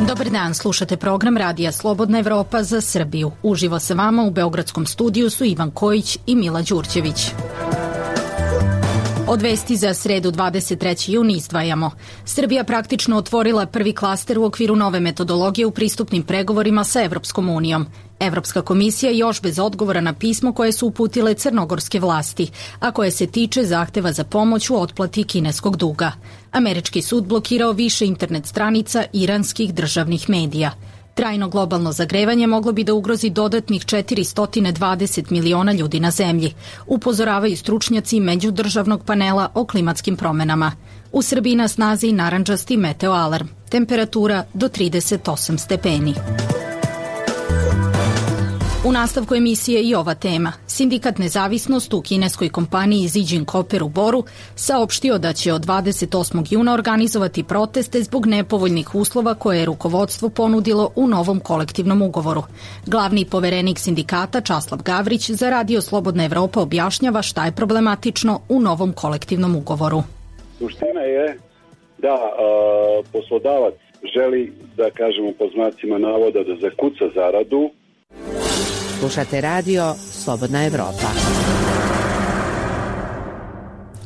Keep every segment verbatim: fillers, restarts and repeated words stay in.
Dobar dan, slušate program Radija Slobodna Evropa za Srbiju. Uživo sa vama u beogradskom studiju su Ivan Kojić i Mila Đurđević. Od vesti za sredu dvadeset trećeg juna izdvajamo. Srbija praktično otvorila prvi klaster u okviru nove metodologije u pristupnim pregovorima sa Evropskom unijom. Evropska komisija još bez odgovora na pismo koje su uputile crnogorske vlasti, a koje se tiče zahteva za pomoć u otplati kineskog duga. Američki sud blokirao više internet stranica iranskih državnih medija. Trajno globalno zagrevanje moglo bi da ugrozi dodatnih četiristo dvadeset miliona ljudi na zemlji, upozoravaju stručnjaci međudržavnog panela o klimatskim promenama. U Srbiji na snazi narandžasti meteo alarm, temperatura do trideset osam stepeni. U nastavku emisije i ova tema. Sindikat Nezavisnost u kineskoj kompaniji Zijin Copper u Boru saopštio da će od dvadeset osmog juna organizovati proteste zbog nepovoljnih uslova koje je rukovodstvo ponudilo u novom kolektivnom ugovoru. Glavni poverenik sindikata Časlav Gavrić za Radio Slobodna Evropa objašnjava šta je problematično u novom kolektivnom ugovoru. Suština je da a, poslodavac želi, da kažemo po znacima navoda, da zakuca zaradu. Slušate Radio Slobodna Evropa.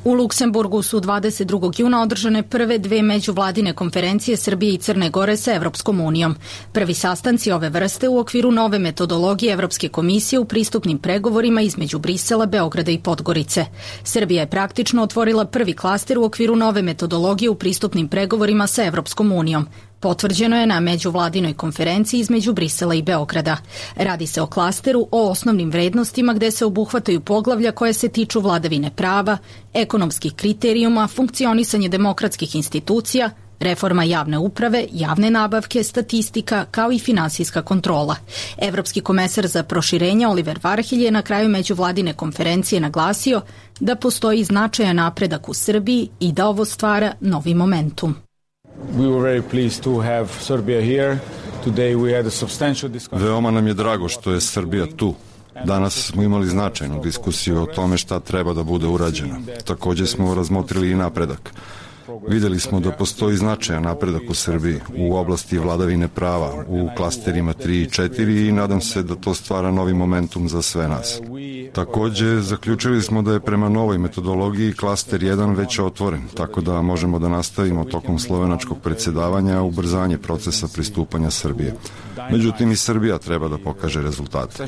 U Luksemburgu su dvadeset drugog juna održane prve dve međuvladine konferencije Srbije i Crne Gore sa Evropskom unijom. Prvi sastanci ove vrste u okviru nove metodologije Evropske komisije u pristupnim pregovorima između Brisela, Beograda i Podgorice. Srbija je praktično otvorila prvi klaster u okviru nove metodologije u pristupnim pregovorima sa Evropskom unijom. Potvrđeno je na međuvladinoj konferenciji između Brisela i Beograda. Radi se o klasteru o osnovnim vrednostima gde se obuhvataju poglavlja koje se tiču vladavine prava, ekonomskih kriterijuma, funkcionisanje demokratskih institucija, reforma javne uprave, javne nabavke, statistika, kao i finansijska kontrola. Evropski komesar za proširenje Oliver Varhelj je na kraju međuvladine konferencije naglasio da postoji značajan napredak u Srbiji i da ovo stvara novi momentum. Veoma nam je drago što je Srbija tu. Danas smo imali značajnu diskusiju o tome šta treba da bude urađeno. Također smo razmotrili i napredak. Videli smo da postoji značajan napredak u Srbiji u oblasti vladavine prava, u klasterima tri i četiri i nadam se da to stvara novi momentum za sve nas. Također, zaključili smo da je prema novoj metodologiji klaster jedan već otvoren, tako da možemo da nastavimo tokom slovenačkog predsjedavanja ubrzanje procesa pristupanja Srbije. Međutim, i Srbija treba da pokaže rezultate.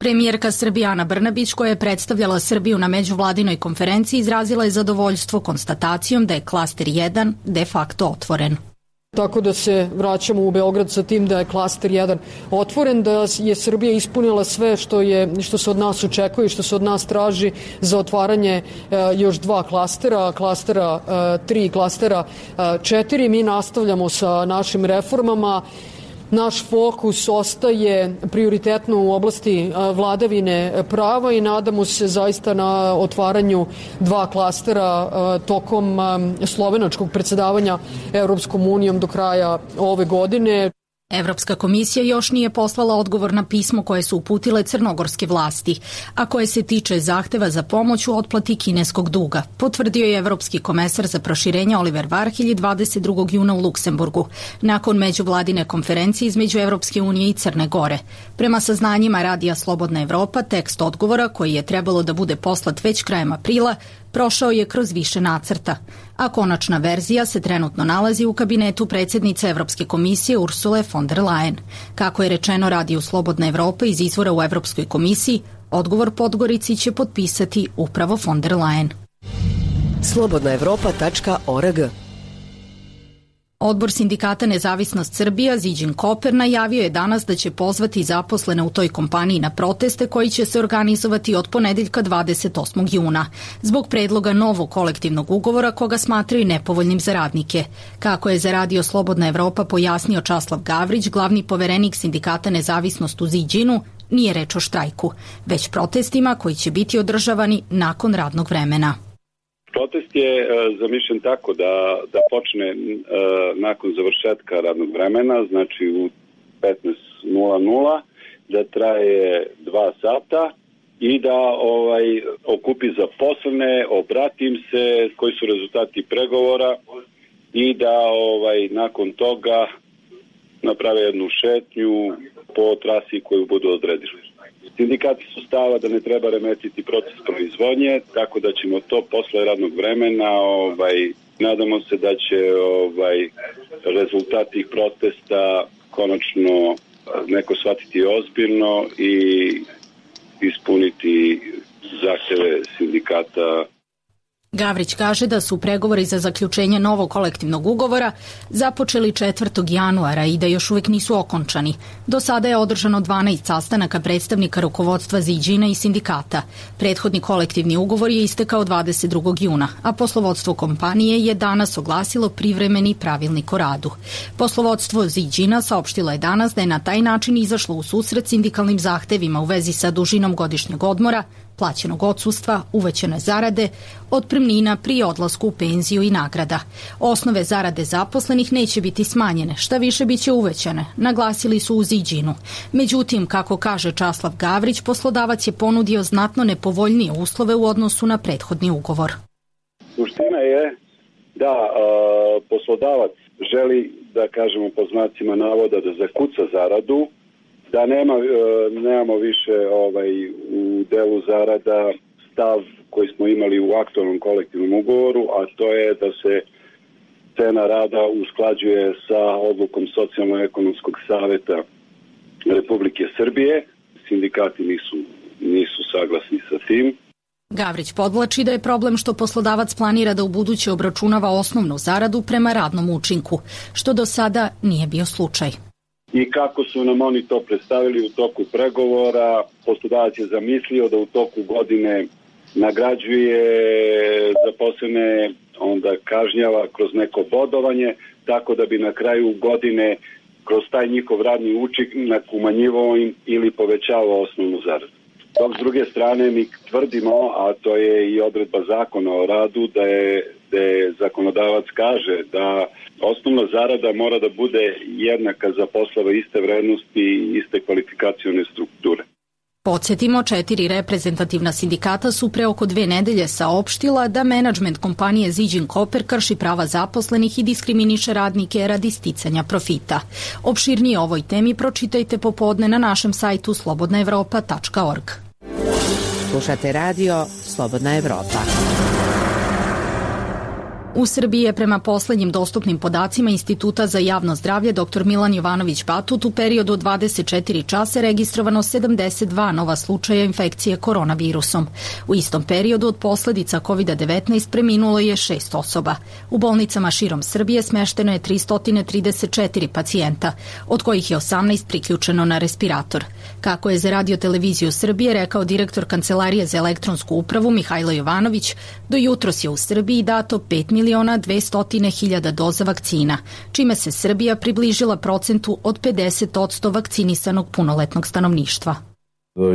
Premijerka Srbije Ana Brnabić, koja je predstavljala Srbiju na međuvladinoj konferenciji, izrazila je zadovoljstvo konstatacijom da je klaster jedan de facto otvoren. Tako da se vraćamo u Beograd sa tim da je klaster jedan otvoren, da je Srbija ispunila sve što je što se od nas očekuje i što se od nas traži za otvaranje e, još dva klastera, klastera tri i klastera četiri. Mi nastavljamo sa našim reformama. Naš fokus ostaje prioritetno u oblasti vladavine prava i nadamo se zaista na otvaranju dva klastera tokom slovenačkog predsjedavanja Evropskom unijom do kraja ove godine. Evropska komisija još nije poslala odgovor na pismo koje su uputile crnogorske vlasti, a koje se tiče zahteva za pomoć u otplati kineskog duga, potvrdio je Evropski komesar za proširenje Oliver Varhelj dvadeset drugog juna u Luksemburgu, nakon međuvladine konferencije između Evropske unije i Crne Gore. Prema saznanjima Radija Slobodna Evropa, tekst odgovora, koji je trebalo da bude poslat već krajem aprila, prošao je kroz više nacrta, a konačna verzija se trenutno nalazi u kabinetu predsjednice Evropske komisije Ursule von der Leyen. Kako je rečeno Radiju Slobodna Evropa iz izvora u Evropskoj komisiji, odgovor Podgorici će potpisati upravo von der Leyen. slobodna evropa tačka org. Odbor sindikata Nezavisnost Srbija Zijin Copper najavio je danas da će pozvati zaposlene u toj kompaniji na proteste koji će se organizovati od ponedeljka dvadeset osmog juna zbog predloga novog kolektivnog ugovora koga smatraju nepovoljnim za radnike. Kako je za Radio Slobodna Evropa pojasnio Časlav Gavrić, glavni poverenik sindikata Nezavisnost u Zijinu, nije reč o štrajku, već protestima koji će biti održavani nakon radnog vremena. Protest je e, zamišljen tako da, da počne e, nakon završetka radnog vremena, znači u petnaest nula nula, da traje dva sata i da ovaj okupi zaposlene, obrati im se koji su rezultati pregovora i da ovaj nakon toga naprave jednu šetnju po trasi koju budu odredili. Sindikati su stava da ne treba remetiti proces proizvodnje, tako da ćemo to posle radnog vremena, ovaj, nadamo se da će ovaj, rezultat tih protesta konačno neko shvatiti ozbiljno i ispuniti zahteve sindikata. Gavrić kaže da su pregovori za zaključenje novog kolektivnog ugovora započeli četvrtog januara i da još uvijek nisu okončani. Do sada je održano dvanaest sastanaka predstavnika rukovodstva Ziđina i sindikata. Prethodni kolektivni ugovor je istekao dvadeset drugog juna, a poslovodstvo kompanije je danas oglasilo privremeni pravilnik o radu. Poslovodstvo Ziđina saopštilo je danas da je na taj način izašlo u susret sindikalnim zahtevima u vezi sa dužinom godišnjeg odmora, plaćenog odsustva, uvećane zarade, otpremnina pri odlasku u penziju i nagrada. Osnove zarade zaposlenih neće biti smanjene, šta više biće uvećane, naglasili su u Ziđinu. Međutim, kako kaže Časlav Gavrić, poslodavac je ponudio znatno nepovoljnije uslove u odnosu na prethodni ugovor. Suština je da a, poslodavac želi, da kažemo po znacima navoda, da zakuca zaradu, da nema, nemamo više ovaj, u delu zarada stav koji smo imali u aktualnom kolektivnom ugovoru, a to je da se cena rada usklađuje sa odlukom Socijalno-ekonomskog saveta Republike Srbije. Sindikati nisu, nisu saglasni sa tim. Gavrić podvlači da je problem što poslodavac planira da ubuduće obračunava osnovnu zaradu prema radnom učinku, što do sada nije bio slučaj. I kako su nam oni to predstavili u toku pregovora, poslodavac je zamislio da u toku godine nagrađuje zaposlene, onda kažnjava kroz neko bodovanje, tako da bi na kraju godine kroz taj njihov radni učinak umanjivao im ili povećavao osnovnu zaradu. Dok s druge strane mi tvrdimo, a to je i odredba zakona o radu, da je, da je zakonodavac kaže da osnovna zarada mora da bude jednaka za poslove iste vrednosti i iste kvalifikacione strukture. Podsjetimo, četiri reprezentativna sindikata su pre oko dve nedelje saopštila da menadžment kompanije Ziđin Koper krši prava zaposlenih i diskriminiše radnike radi sticanja profita. Opširnije o ovoj temi pročitajte popodne na našem sajtu slobodna evropa tačka org. Slušate radio Slobodna Evropa. U Srbiji je prema poslednjim dostupnim podacima Instituta za javno zdravlje dr Milan Jovanović Batut u periodu od dvadeset četiri časa registrovano sedamdeset dva nova slučaja infekcije koronavirusom. U istom periodu od posledica kovid devetnaest preminulo je šest osoba. U bolnicama širom Srbije smešteno je tristo trideset četiri pacijenta, od kojih je osamnaest priključeno na respirator. Kako je za Radio televiziju Srbije rekao direktor Kancelarije za elektronsku upravu Mihajlo Jovanović, do jutros je u Srbiji dato pet miliona dvesta hiljada doza vakcina, čime se Srbija približila procentu od pedeset posto vakcinisanog punoletnog stanovništva.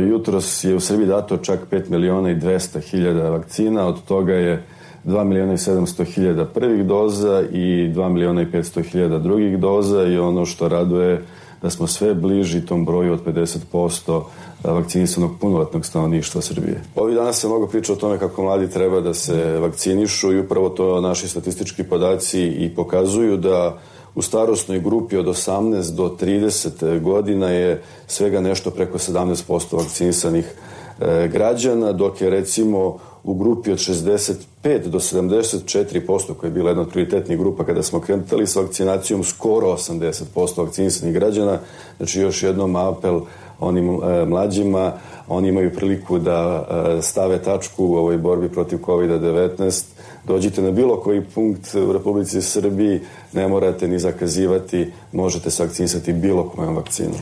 Jutros je u Srbiji dato čak pet miliona i dvesta hiljada vakcina, od toga je dva miliona i sedamsto hiljada prvih doza i dva miliona i petsto hiljada drugih doza i ono što raduje da smo sve bliži tom broju od pedeset posto vakcinisanog punoletnog stanovništva Srbije. Ovih dana se mnogo priča o tome kako mladi treba da se vakcinišu i upravo to naši statistički podaci i pokazuju da u starosnoj grupi od osamnaest do trideset godina je svega nešto preko sedamnaest posto vakcinisanih e, građana, dok je recimo u grupi od šezdeset pet do sedamdeset četiri posto, koja je bila jedna od prioritetnih grupa kada smo krenuli s vakcinacijom, skoro osamdeset posto vakcinisanih građana. Znači još jednom apel onim e, mlađima, oni imaju priliku da e, stave tačku u ovoj borbi protiv kovid devetnaest. Dođite na bilo koji punkt u Republici Srbiji, ne morate ni zakazivati, možete se vakcinisati bilo kojom vakcinom.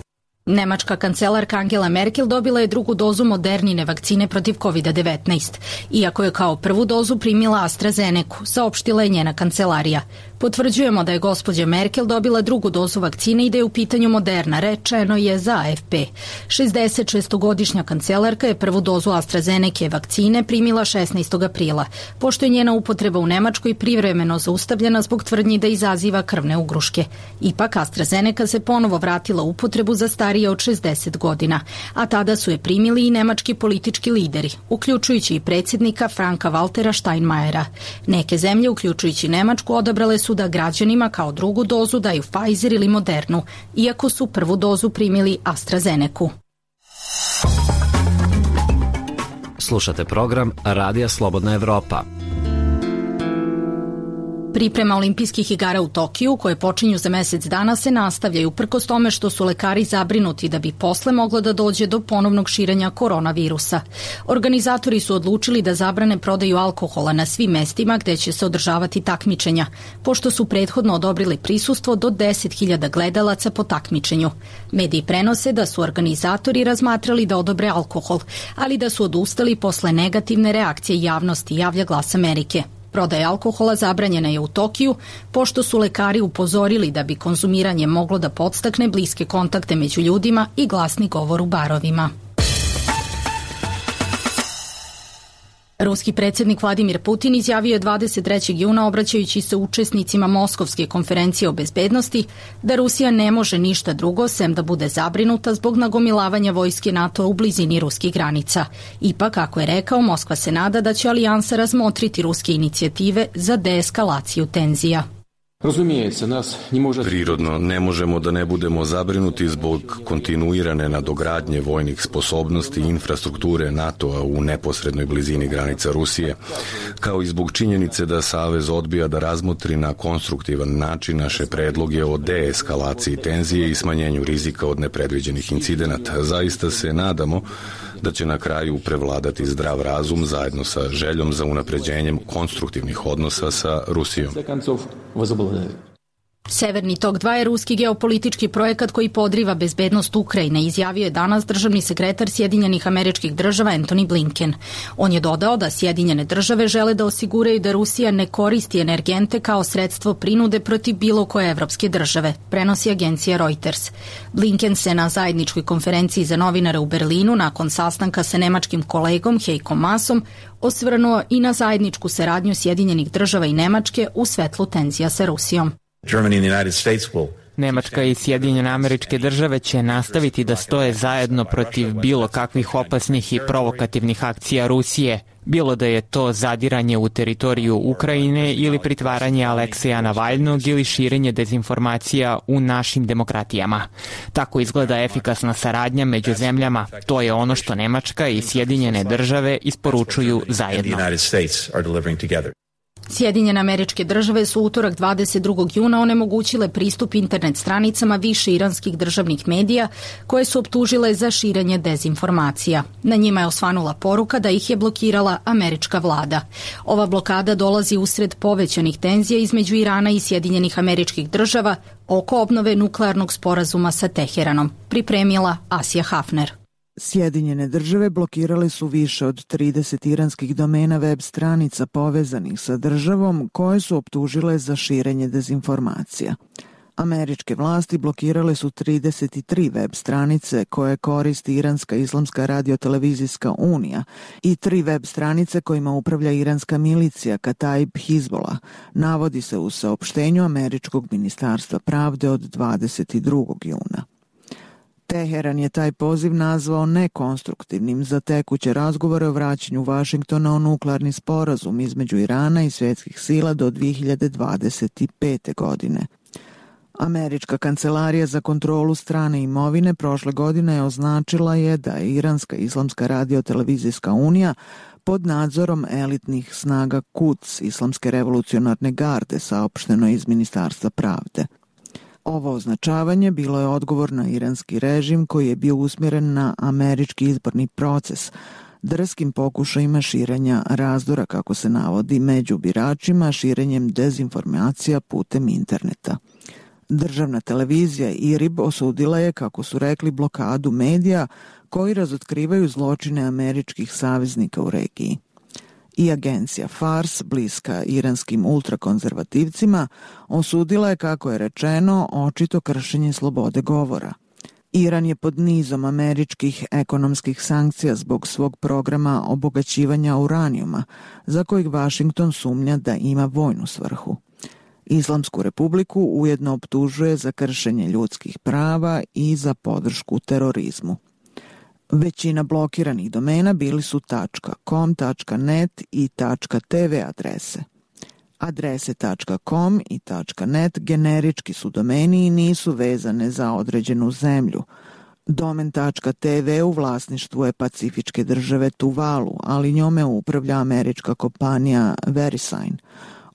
Nemačka kancelarka Angela Merkel dobila je drugu dozu Modernine vakcine protiv kovid devetnaest, iako je kao prvu dozu primila AstraZenecu, saopštila je njena kancelarija. Potvrđujemo da je gospođa Merkel dobila drugu dozu vakcine i da je u pitanju Moderna, rečeno je za A F P. šezdesetšestogodišnja kancelarka je prvu dozu AstraZeneke vakcine primila šesnaestog aprila, pošto je njena upotreba u Nemačkoj privremeno zaustavljena zbog tvrdnji da izaziva krvne ugruške. Ipak AstraZeneca se ponovo vratila u upotrebu za starije starije od šezdeset godina, a tada su je primili i nemački politički lideri, uključujući i predsjednika Franka Waltera Steinmeiera. Neke zemlje, uključujući Nemačku, odabrale su da građanima kao drugu dozu daju Pfizer ili Modernu, iako su prvu dozu primili AstraZenecu. Slušate program Radija Slobodna Evropa. Priprema olimpijskih igara u Tokiju, koje počinju za mesec dana, se nastavljaju uprkos tome što su lekari zabrinuti da bi posle moglo da dođe do ponovnog širenja koronavirusa. Organizatori su odlučili da zabrane prodaju alkohola na svim mestima gde će se održavati takmičenja, pošto su prethodno odobrili prisustvo do deset hiljada gledalaca po takmičenju. Mediji prenose da su organizatori razmatrali da odobre alkohol, ali da su odustali posle negativne reakcije javnosti, javlja Glas Amerike. Prodaja alkohola zabranjena je u Tokiju, pošto su lekari upozorili da bi konzumiranje moglo da podstakne bliske kontakte među ljudima i glasni govor u barovima. Ruski predsjednik Vladimir Putin izjavio je dvadeset trećeg juna, obraćajući se učesnicima Moskovske konferencije o bezbednosti, da Rusija ne može ništa drugo sem da bude zabrinuta zbog nagomilavanja vojske NATO u blizini ruskih granica. Ipak, kako je rekao, Moskva se nada da će alijansa razmotriti ruske inicijative za deeskalaciju tenzija. Prirodno, ne možemo da ne budemo zabrinuti zbog kontinuirane nadogradnje vojnih sposobnosti i infrastrukture NATO-a u neposrednoj blizini granica Rusije, kao i zbog činjenice da Savez odbija da razmotri na konstruktivan način naše predloge o deeskalaciji tenzije i smanjenju rizika od nepredviđenih incidenata. Zaista se nadamo da će na kraju prevladati zdrav razum zajedno sa željom za unapređenjem konstruktivnih odnosa sa Rusijom. Severni tok dva je ruski geopolitički projekat koji podriva bezbednost Ukrajine, izjavio je danas državni sekretar Sjedinjenih Američkih Država Antony Blinken. On je dodao da Sjedinjene države žele da osiguraju da Rusija ne koristi energente kao sredstvo prinude protiv bilo koje evropske države, prenosi agencija Reuters. Blinken se na zajedničkoj konferenciji za novinare u Berlinu nakon sastanka sa nemačkim kolegom Heikom Maasom osvrnuo i na zajedničku saradnju Sjedinjenih država i Nemačke u svetlu tenzija sa Rusijom. Nemačka i Sjedinjene Američke Države će nastaviti da stoje zajedno protiv bilo kakvih opasnih i provokativnih akcija Rusije, bilo da je to zadiranje u teritoriju Ukrajine ili pritvaranje Alekseja Navalnog ili širenje dezinformacija u našim demokratijama. Tako izgleda efikasna saradnja među zemljama. To je ono što Nemačka i Sjedinjene Države isporučuju zajedno. Sjedinjene Američke Države su utorak dvadeset drugog juna onemogućile pristup internet stranicama više iranskih državnih medija koje su optužile za širenje dezinformacija. Na njima je osvanula poruka da ih je blokirala američka vlada. Ova blokada dolazi usred povećanih tenzija između Irana i Sjedinjenih Američkih Država oko obnove nuklearnog sporazuma sa Teheranom, pripremila Asija Hafner. Sjedinjene države blokirale su više od trideset iranskih domena web stranica povezanih sa državom koje su optužile za širenje dezinformacija. Američke vlasti blokirale su trideset tri web stranice koje koristi Iranska islamska radiotelevizijska unija i tri web stranice kojima upravlja iranska milicija Kataib Hizbola, navodi se u saopštenju Američkog ministarstva pravde od dvadeset drugog juna. Teheran je taj poziv nazvao nekonstruktivnim za tekuće razgovore o vraćanju Vašingtona o nuklearni sporazum između Irana i svjetskih sila do dve hiljade dvadeset pete. godine. Američka kancelarija za kontrolu strane imovine prošle godine je označila je da je Iranska islamska radiotelevizijska unija pod nadzorom elitnih snaga Quds, Islamske revolucionarne garde, saopšteno iz Ministarstva pravde. Ovo označavanje bilo je odgovor na iranski režim koji je bio usmjeren na američki izborni proces, drskim pokušajima širenja razdora, kako se navodi, među biračima, širenjem dezinformacija putem interneta. Državna televizija I R I B osudila je, kako su rekli, blokadu medija koji razotkrivaju zločine američkih saveznika u regiji. I agencija Fars, bliska iranskim ultrakonzervativcima, osudila je, kako je rečeno, očito kršenje slobode govora. Iran je pod nizom američkih ekonomskih sankcija zbog svog programa obogaćivanja uranijuma, za kojeg Vašington sumnja da ima vojnu svrhu. Islamsku republiku ujedno optužuje za kršenje ljudskih prava i za podršku terorizmu. Većina blokiranih domena bili su .com, .net i .tv adrese. Adrese .com i .net generički su domeni i nisu vezane za određenu zemlju. Domen .tv u vlasništvu je pacifičke države Tuvalu, ali njome upravlja američka kompanija VeriSign.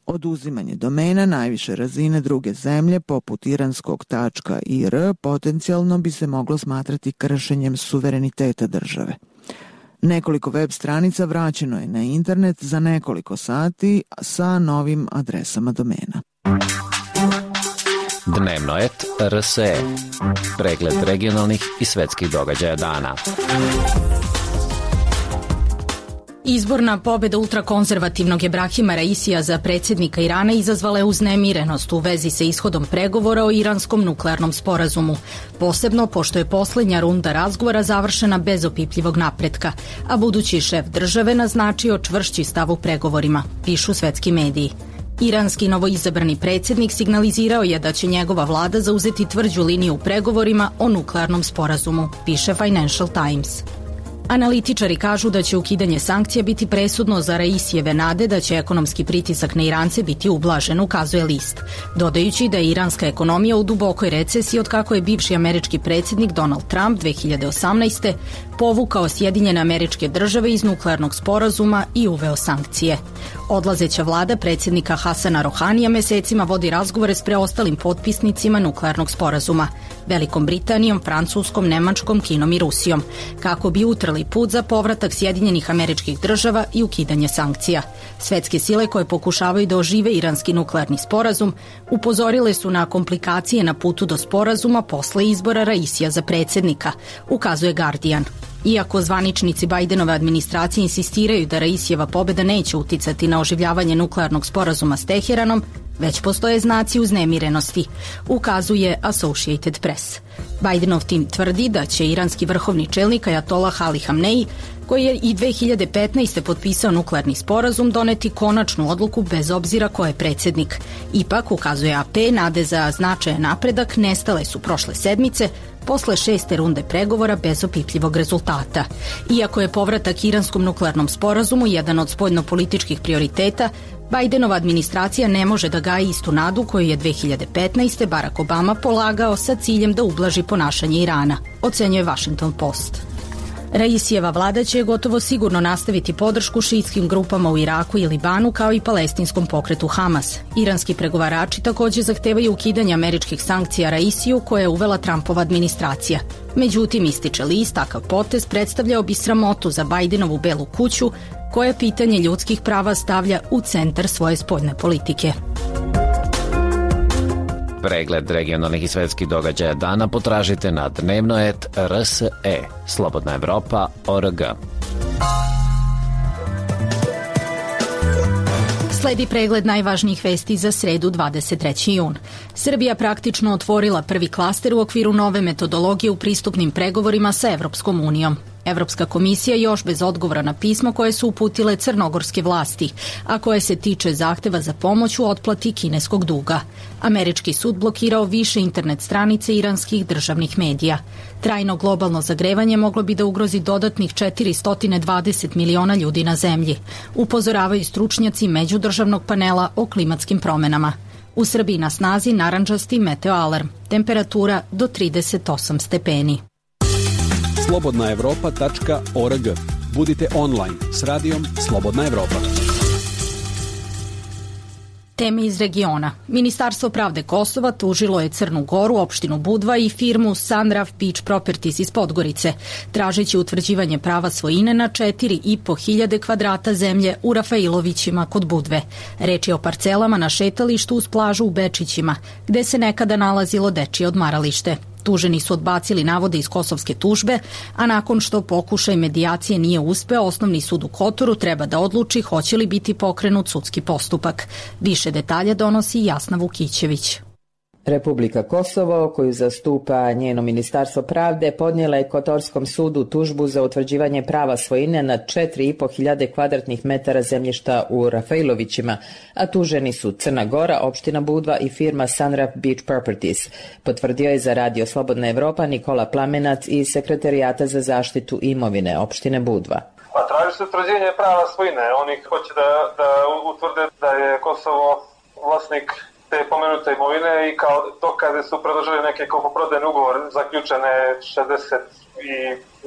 Oduzimanje domena najviše razine druge zemlje, poput iranskog .ir, potencijalno bi se moglo smatrati kršenjem suvereniteta države. Nekoliko web stranica vraćeno je na internet za nekoliko sati sa novim adresama domena. Dnevnoet R S E. Pregled regionalnih i svetskih događaja dana. Izborna pobeda ultrakonzervativnog Ebrahima Raisija za predsjednika Irana izazvala je uznemirenost u vezi sa ishodom pregovora o iranskom nuklearnom sporazumu, posebno pošto je poslednja runda razgovora završena bez opipljivog napretka, a budući šef države naznačio čvršći stav u pregovorima, pišu svetski mediji. Iranski novoizabrani predsjednik signalizirao je da će njegova vlada zauzeti tvrđu liniju u pregovorima o nuklearnom sporazumu, piše Financial Times. Analitičari kažu da će ukidanje sankcija biti presudno za Raisijeve nade da će ekonomski pritisak na Irance biti ublažen, ukazuje list, dodajući da je iranska ekonomija u dubokoj recesiji od kako je bivši američki predsjednik Donald Trump dve hiljade osamnaeste. povukao Sjedinjene Američke Države iz nuklearnog sporazuma i uveo sankcije. Odlazeća vlada predsjednika Hasana Rohanija mesecima vodi razgovore s preostalim potpisnicima nuklearnog sporazuma, Velikom Britanijom, Francuskom, Nemačkom, Kinom i Rusijom, kako bi utrli put za povratak Sjedinjenih Američkih Država i ukidanje sankcija. Svetske sile koje pokušavaju da ožive iranski nuklearni sporazum upozorile su na komplikacije na putu do sporazuma posle izbora Raisija za predsjednika, ukazuje Guardian. Iako zvaničnici Bajdenove administracije insistiraju da Raisijeva pobeda neće uticati na oživljavanje nuklearnog sporazuma s Teheranom, već postoje znaci uznemirenosti, ukazuje Associated Press. Bajdenov tim tvrdi da će iranski vrhovni čelnik Ajatolah Ali Hamneji, koji je i dve hiljade petnaeste. potpisao nuklearni sporazum, doneti konačnu odluku bez obzira ko je predsjednik. Ipak, ukazuje A P, nade za značajan napredak nestale su prošle sedmice, posle šeste runde pregovora bez opipljivog rezultata. Iako je povratak iranskom nuklearnom sporazumu jedan od spoljnopolitičkih prioriteta, Bajdenova administracija ne može da gaji istu nadu koju je dve hiljade petnaeste. Barack Obama polagao sa ciljem da ublaži ponašanje Irana, ocenjuje Washington Post. Raisijeva vlada će gotovo sigurno nastaviti podršku šiitskim grupama u Iraku i Libanu kao i palestinskom pokretu Hamas. Iranski pregovarači takođe zahtevaju ukidanje američkih sankcija Raisiju koje je uvela Trumpova administracija. Međutim, ističe list, takav potez predstavljao bi sramotu za Bajdenovu Belu kuću, koje pitanje ljudskih prava stavlja u centar svoje spoljne politike. Pregled regionalnih i svetskih događaja dana potražite na dnevnoet R S E, Slobodna Evropa, O R G. Sledi pregled najvažnijih vesti za sredu dvadeset treći jun. Srbija praktično otvorila prvi klaster u okviru nove metodologije u pristupnim pregovorima sa Evropskom unijom. Evropska komisija još bez odgovora na pismo koje su uputile crnogorske vlasti, a koje se tiče zahteva za pomoć u otplati kineskog duga. Američki sud blokirao više internet stranice iranskih državnih medija. Trajno globalno zagrevanje moglo bi da ugrozi dodatnih četiristo dvadeset miliona ljudi na zemlji, upozoravaju stručnjaci međudržavnog panela o klimatskim promenama. U Srbiji na snazi narandžasti meteo alarm, temperatura do trideset osam stepeni. slobodna evropa tačka org. Budite online s radijom Slobodna Evropa. Teme iz regiona. Ministarstvo pravde Kosova tužilo je Crnu Goru, opštinu Budva i firmu Sunroof Beach Properties iz Podgorice, tražeći utvrđivanje prava svojine na četiri i po hiljade kvadrata zemlje u Rafailovićima kod Budve. Reč je o parcelama na šetalištu uz plažu u Bečićima, gde se nekada nalazilo dečije odmaralište. Tuženi su odbacili navode iz kosovske tužbe, a nakon što pokušaj medijacije nije uspeo, Osnovni sud u Kotoru treba da odluči hoće li biti pokrenut sudski postupak. Više detalja donosi Jasna Vukićević. Republika Kosovo, koju zastupa njeno ministarstvo pravde, podnijela je Kotorskom sudu tužbu za utvrđivanje prava svojine nad četiri i po hiljade kvadratnih metara zemljišta u Rafailovićima, a tuženi su Crna Gora, opština Budva i firma Sunraf Beach Properties. Potvrdio je za Radio Slobodna Evropa Nikola Plamenac iz Sekretarijata za zaštitu imovine opštine Budva. Pa traži se utvrđenje prava svojine. Oni hoće da, da utvrde da je Kosovo vlasnik te pomenute imovine i kao dokaze su predložili neke kupoprodajne ugovore zaključene šezdeset i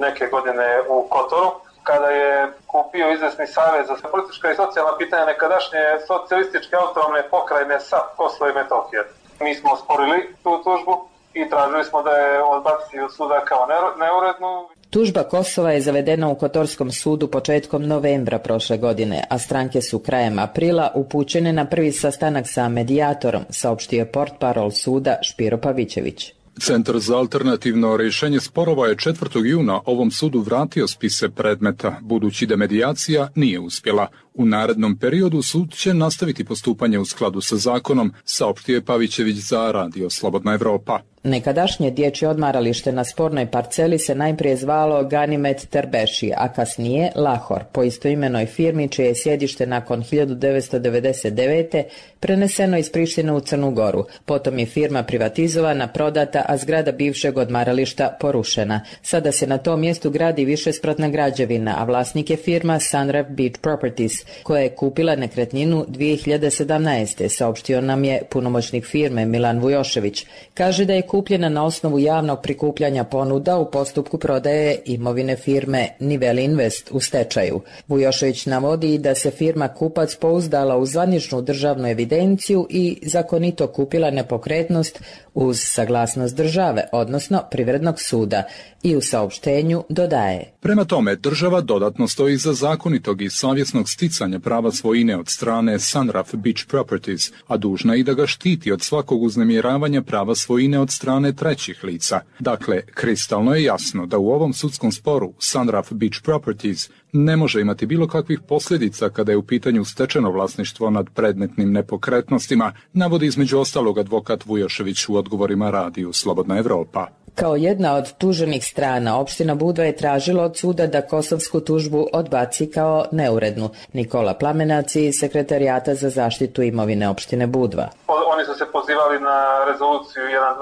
neke godine u Kotoru, kada je kupio izvesni savez za politička i socijalna pitanja nekadašnje socijalističke autonomne pokrajine S A P Kosovo i Metohije. Mi smo osporili tu tužbu i tražili smo da je odbaci od suda kao neurednu. Tužba Kosova je zavedena u Kotorskom sudu početkom novembra prošle godine, a stranke su krajem aprila upućene na prvi sastanak sa medijatorom, saopštio portparol suda Špiro Pavićević. Centar za alternativno rješenje sporova je četvrtog juna ovom sudu vratio spise predmeta, budući da medijacija nije uspjela. U narednom periodu sud će nastaviti postupanje u skladu sa zakonom, saopštio je Pavićević za Radio Slobodna Evropa. Nekadašnje dječje odmaralište na spornoj parceli se najprije zvalo Ganimet Terbeši, a kasnije Lahor, po istoimenoj firmi čije je sjedište nakon hiljadu devetsto devedeset devete preneseno iz Prištine u Crnu Goru. Potom je firma privatizovana, prodata, a zgrada bivšeg odmarališta porušena. Sada se na tom mjestu gradi višespratna građevina, a vlasnik je firma Sunraf Beach Properties, koja je kupila nekretninu dvije hiljade sedamnaeste. saopštio nam je punomoćnik firme Milan Vujošević. Kaže da je kupljena na osnovu javnog prikupljanja ponuda u postupku prodaje imovine firme Nivel Invest u stečaju. Vujošević navodi da se firma kupac pouzdala u zvaničnu državnu evidenciju i zakonito kupila nepokretnost uz saglasnost države, odnosno privrednog suda, i u saopštenju dodaje. Prema tome, država dodatno stoji iza zakonitog i savjesnog sticanja prava svojine od strane Sunraf Beach Properties, a dužna i da ga štiti od svakog uznemiravanja prava svojine od strane trećih lica. Dakle, kristalno je jasno da u ovom sudskom sporu Sunraf Beach Properties ne može imati bilo kakvih posljedica kada je u pitanju stečeno vlasništvo nad predmetnim nepokretnostima, navodi između ostalog advokat Vujošević u odgovorima Radiju Slobodna Evropa. Kao jedna od tuženih strana, opština Budva je tražila od suda da kosovsku tužbu odbaci kao neurednu. Nikola Plamenac iz Sekretarijata za zaštitu imovine opštine Budva. Oni su se pozivali na rezoluciju jedan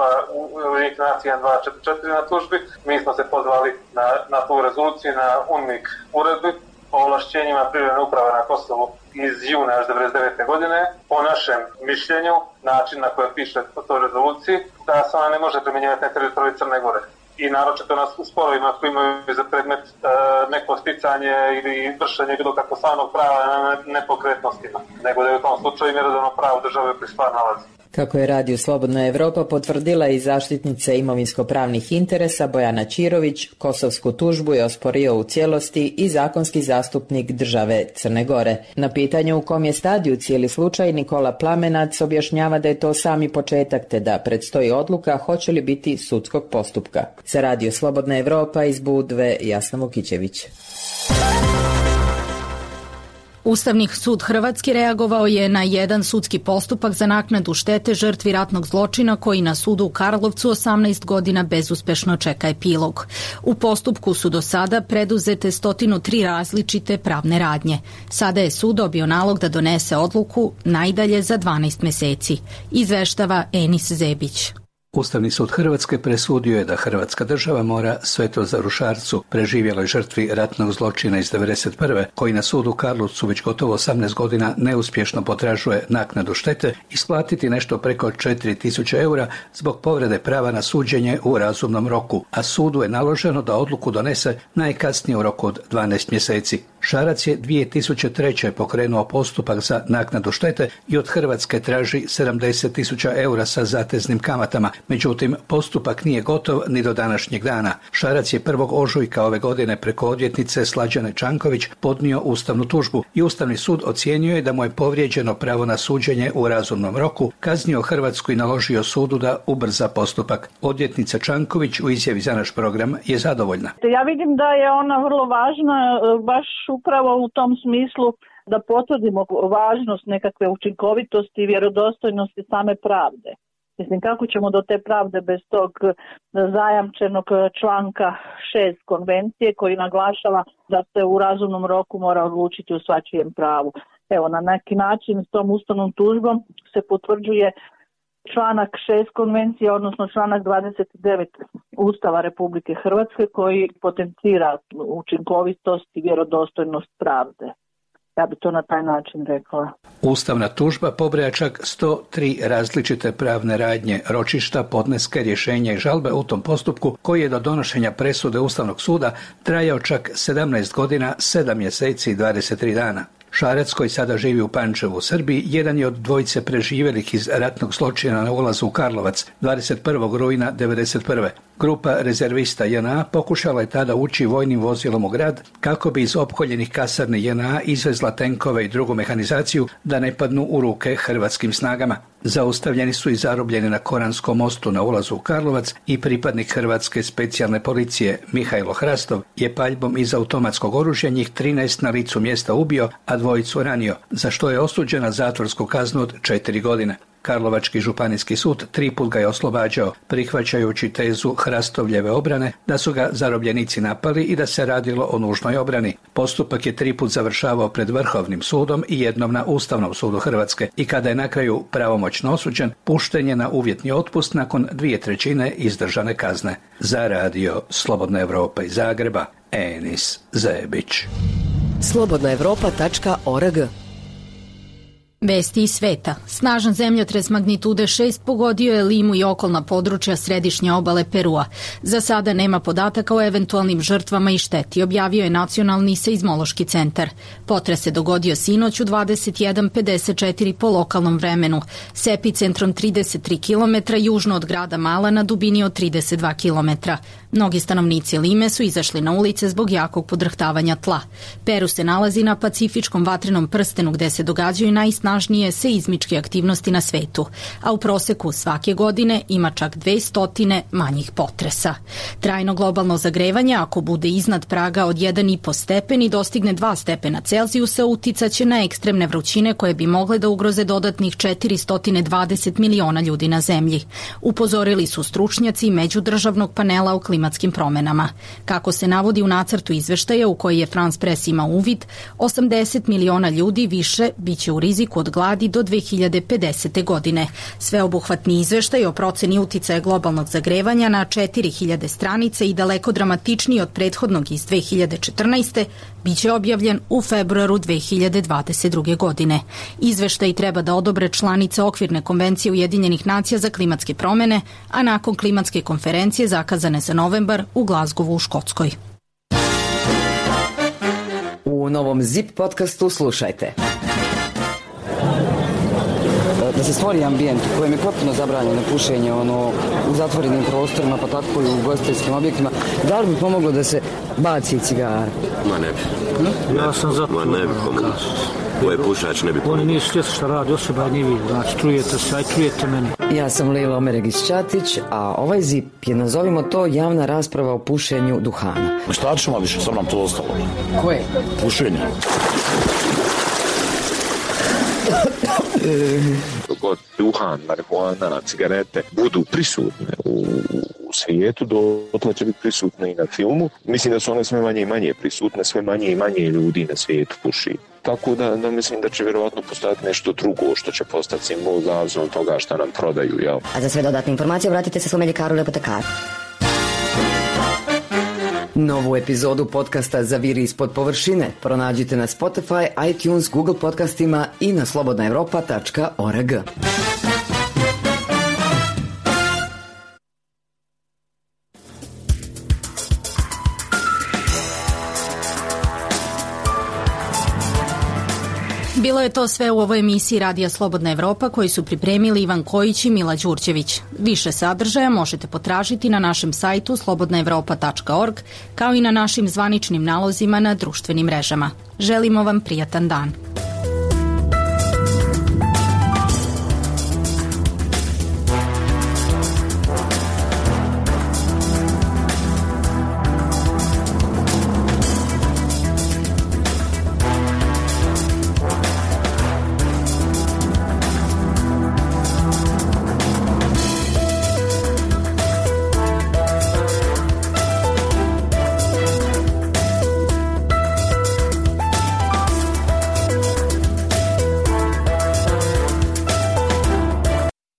dva četiri četiri na tužbi. Mi smo se pozvali na, na tu rezoluciju, na UNMIK uredbi o ovlašćenjima privredne uprave na Kosovu iz juna devedeset devete godine. Po našem mišljenju, način na koje piše po toj rezoluciji, da se ona ne može primjenjivati na teritoriju Crne Gore. I naročito na sporovima koji imaju za predmet e, neko sticanje ili vršenje bilo kako stvarnog prava na nepokretnostima, nego da je u tom slučaju mjerodavno pravo države pri stvar nalazi. Kako je Radio Slobodna Evropa potvrdila i zaštitnica imovinsko-pravnih interesa Bojana Ćirović, kosovsku tužbu je osporio u cijelosti i zakonski zastupnik države Crne Gore. Na pitanje u kom je stadiju cijeli slučaj, Nikola Plamenac objašnjava da je to sami početak te da predstoji odluka hoće li biti sudskog postupka. Za Radio Slobodna Evropa iz Budve, Jasna Vukićević. Ustavni sud Hrvatske reagovao je na jedan sudski postupak za naknadu štete žrtvi ratnog zločina koji na sudu u Karlovcu osamnaest godina bezuspešno čeka epilog. U postupku su do sada preduzete stotinu tri različite pravne radnje. Sada je sud dobio nalog da donese odluku najdalje za dvanaest meseci. Izveštava Enis Zebić. Ustavni sud Hrvatske presudio je da Hrvatska država mora Svetozaru Šarcu, preživjeloj žrtvi ratnog zločina iz devedeset prve, koji na sudu u Karlovcu već gotovo osamnaest godina neuspješno potražuje naknadu štete, isplatiti nešto preko četiri tisuće eura zbog povrede prava na suđenje u razumnom roku, a sudu je naloženo da odluku donese najkasnije u roku od dvanaest mjeseci. Šarac je dvije tisuće treće pokrenuo postupak za naknadu štete i od Hrvatske traži sedamdeset tisuća eura sa zateznim kamatama. Međutim, postupak nije gotov ni do današnjeg dana. Šarac je prvog ožujka ove godine preko odvjetnice Slađane Čanković podnio ustavnu tužbu i Ustavni sud ocijenio je da mu je povrijeđeno pravo na suđenje u razumnom roku, kaznio Hrvatsku i naložio sudu da ubrza postupak. Odvjetnica Čanković u izjavi za naš program je zadovoljna. Ja vidim da je ona vrlo važna, baš upravo u tom smislu da potvrdimo važnost nekakve učinkovitosti i vjerodostojnosti same pravde. Mislim, kako ćemo do te pravde bez tog zajamčenog članka šest konvencije koji naglašava da se u razumnom roku mora odlučiti o svačijem pravu. Evo, na neki način s tom ustavnom tužbom se potvrđuje članak šest konvencije, odnosno članak dvadeset devet Ustava Republike Hrvatske koji potencira učinkovitost i vjerodostojnost pravde. Ja bi to na taj način rekla. Ustavna tužba pobraja čak sto tri različite pravne radnje, ročišta, podneske, rješenja i žalbe u tom postupku koji je do donošenja presude Ustavnog suda trajao čak sedamnaest godina, sedam mjeseci i dvadeset tri dana. Šarac, koji sada živi u Pančevu u Srbiji, jedan je od dvojice preživjelih iz ratnog zločina na ulazu u Karlovac dvadeset prvog rujna devedeset prve. Grupa rezervista J N A pokušala je tada ući vojnim vozilom u grad kako bi iz opkoljenih kasarni J N A izvezla tenkove i drugu mehanizaciju da ne padnu u ruke hrvatskim snagama. Zaustavljeni su i zarobljeni na Koranskom mostu na ulazu u Karlovac i pripadnik Hrvatske specijalne policije Mihajlo Hrastov je paljbom iz automatskog oružja njih trinaest na licu mjesta ubio, a dvojicu ranio, za što je osuđen na zatvorsku kaznu od četiri godine. Karlovački županijski sud tri put ga je oslobađao, prihvaćajući tezu Hrastovljeve obrane da su ga zarobljenici napali i da se radilo o nužnoj obrani. Postupak je tri put završavao pred Vrhovnim sudom i jednom na Ustavnom sudu Hrvatske i kada je na kraju pravomoćno osuđen, pušten je na uvjetni otpust nakon dvije trećine izdržane kazne. Za radio Slobodna Evropa iz Zagreba, Enis Zebić. slobodna evropa tačka org. Vesti iz sveta. Snažan zemljotres magnitude šest pogodio je Limu i okolna područja središnje obale Perua. Za sada nema podataka o eventualnim žrtvama i šteti, objavio je Nacionalni seizmološki centar. Potres se dogodio sinoć u dvadeset jedan pedeset četiri po lokalnom vremenu, s epicentrom trideset tri kilometra južno od grada Mala na dubini od trideset dva kilometra. Mnogi stanovnici Lime su izašli na ulice zbog jakog podrhtavanja tla. Peru se nalazi na pacifičkom vatrenom prstenu gde se događaju najsnažnije seizmičke aktivnosti na svetu, a u proseku svake godine ima čak dvesta manjih potresa. Trajno globalno zagrevanje, ako bude iznad praga od jedan i po stepen i dostigne dva stepena Celzijusa, uticaće na ekstremne vrućine koje bi mogle da ugroze dodatnih četiristo dvadeset miliona ljudi na zemlji. Upozorili su stručnjaci međudržavnog panela o klimatskim promenama. Kako se navodi u nacrtu izveštaja u koji je France Press ima uvid, osamdeset miliona ljudi više biće u riziku od gladi do dve hiljade pedesete. godine. Sveobuhvatni izveštaj o proceni uticaja globalnog zagrevanja na četiri hiljade stranica i daleko dramatičniji od prethodnog iz dve hiljade četrnaeste. biće objavljen u februaru dve hiljade dvadeset druge. godine. Izveštaj treba da odobre članice Okvirne konvencije Ujedinjenih nacija za klimatske promene, a nakon klimatske konferencije zakazane za novembar u Glazgovu u Škotskoj. U novom Zip podcastu slušajte. Da se stvori ambijent u kojem je potpuno zabranjeno pušenje ono, u zatvorenim prostorima, pa tako i u ugostiteljskim objektima, da li bi pomoglo da se baci cigara? Ma ne bi. Hm? Ja sam za to. Ma ne bi pomoglo. Ovo je pušač, ne bi pomoglo. Oni nisu svjesni šta radi osoba, a nije vi. Znači, čujete se, aj čujete meni. Ja sam Lila Omeregić-Ćatić, a ovaj Zip je, nazovimo to, javna rasprava o pušenju duhana. Šta ćemo više, sam nam to ostalo. Koje? Pušenje. Dok duhan, marihuana, cigarete budu prisutne u, u svijetu, dotle će biti prisutne i na filmu. Mislim da su one sve manje i manje prisutne, sve manje i manje ljudi na svijetu puši. Tako da, da mislim da će vjerovatno postati nešto drugo što će postati simbol zavisno od toga što nam prodaju. Jel? A za sve dodatne informacije obratite se svom ljekaru ili apotekaru. Novu epizodu podcasta Zaviri ispod površine pronađite na Spotify, iTunes, Google podcastima i na slobodna evropa tačka org. Bilo je to sve u ovoj emisiji Radija Slobodna Evropa koji su pripremili Ivan Kojić i Mila Đurđević. Više sadržaja možete potražiti na našem sajtu slobodna evropa tačka org kao i na našim zvaničnim nalozima na društvenim mrežama. Želimo vam prijatan dan.